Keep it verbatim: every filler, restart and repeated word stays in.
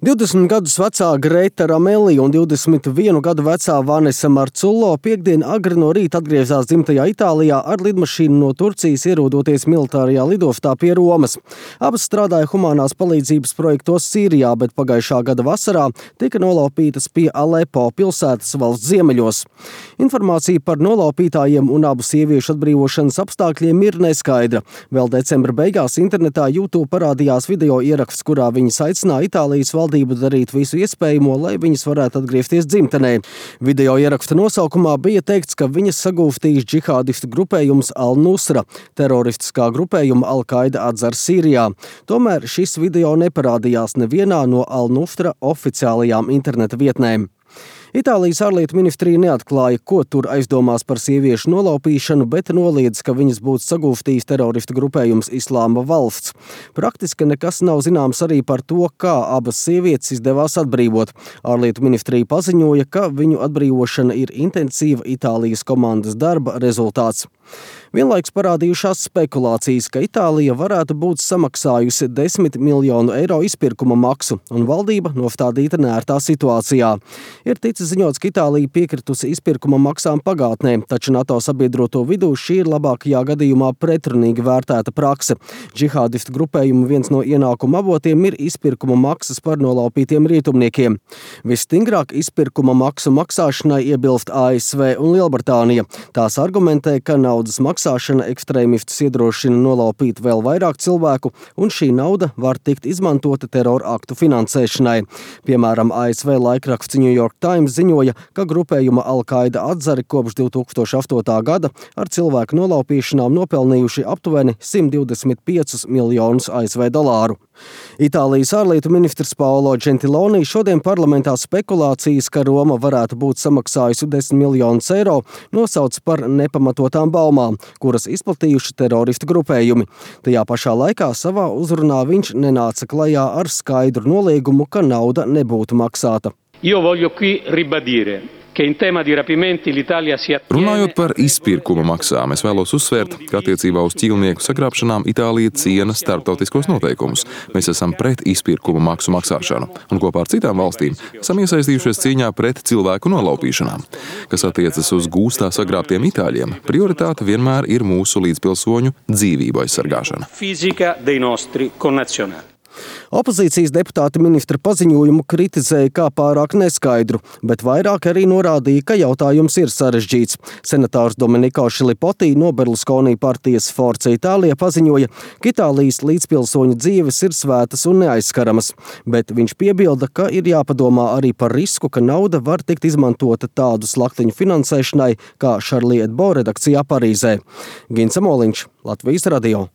divdesmit gadus vecā Greta Ramelli un divdesmit vienu gadu vecā Vanesa Marcullo piekdien agri no rīta atgriezās dzimtajā Itālijā ar lidmašīnu no Turcijas, ierodoties militārajā lidostā pie Romas. Abas strādāja humanās palīdzības projektos Sīrijā, bet pagājušā gada vasarā tika nolaupītas pie Alepo pilsētas valsts ziemeļos. Informācija par nolaupītājiem un abu sieviešu atbrīvošanas apstākļiem ir neskaidra. Vēl decembra beigās internetā YouTube parādījās video ieraksts, kurā viņas aicināja Itālijas valdību darīt visu iespējamo, lai viņas varētu atgriezties dzimtenē. Video ieraksta nosaukumā bija teikts, ka viņas sagūstījis džihādistu grupējums Al-Nusra, teroristiskā grupējuma Al-Qaida atzar Sīrijā. Tomēr šis video neparādījās nevienā no Al-Nusra oficiālajām interneta vietnēm. Itālijas ārlietu ministrija neatklāja, ko tur aizdomās par sieviešu nolaupīšanu, bet noliedz, ka viņas būtu sagūstījis teroristu grupējums Islāma valsts. Praktiski nekas nav zināms arī par to, kā abas sievietes izdevās atbrīvot. Ārlietu ministrija paziņoja, ka viņu atbrīvošana ir intensīva Itālijas komandas darba rezultāts. Vienlaiks parādījušās spekulācijas, ka Itālija varētu būt samaksājusi desmit miljonu eiro izpirkuma maksu, un valdība nostādīta neērtā situācijā. Ir ticis ziņots, ka Itālija piekritusi izpirkuma maksām pagātnē, taču NATO sabiedroto vidū šī ir labākajā gadījumā pretrunīgi vērtēta prakse. Džihādistu grupējumu viens no ienākuma avotiem ir izpirkuma maksas par nolaupītiem rietumniekiem. Visstingrāk izpirkuma maksu maksāšanai iebilst A S V un Lielbritānija. Tās argumentē, ka naudas maksāšana ekstrēmistus iedrošina nolaupīt vēl vairāk cilvēku, un šī nauda var tikt izmantota terora aktu finansēšanai. Piemēram, A S V laikraksts New York Times ziņoja, ka grupējuma Al-Qaida atzari kopš divi tūkstoši astotā gada ar cilvēku nolaupīšanām nopelnījuši aptuveni simt divdesmit piecus miljonus A S V dolāru. Itālijas ārlietu ministrs Paolo Gentiloni šodien parlamentā spekulācijas, ka Roma varētu būt samaksājusi desmit miljonus eiro, nosauc par nepamatotām baumām, kuras izplatījuši teroristu grupējumi. Tajā pašā laikā savā uzrunā viņš nenāca klajā ar skaidru noliegumu, ka nauda nebūtu maksāta. Runājot par izpirkuma maksām, es vēlos uzsvērt, ka attiecībā uz ķīlnieku sagrābšanām Itālija ciena starptautiskos noteikumus. Mēs esam pret izpirkuma maksu maksāšanu, un kopā ar citām valstīm esam iesaistījušies cīņā pret cilvēku nolaupīšanām. Kas attiecas uz gūstā sagrābtiem itāļiem, prioritāte vienmēr ir mūsu līdzpilsoņu dzīvību aizsargāšana. Opozīcijas deputāti ministra paziņojumu kritizēja kā pārāk neskaidru, bet vairāk arī norādīja, ka jautājums ir sarežģīts. Senators Domenico Šilipoti no Berlusconi partijas Forza Itālija paziņoja, ka Itālijas līdzpilsoņu dzīves ir svētas un neaizskaramas, bet viņš piebilda, ka ir jāpadomā arī par risku, ka nauda var tikt izmantota tādu slaktiņu finansēšanai kā Charlie Hebdo redakcijā Parīzē. Gins Amoliņš, Latvijas radio.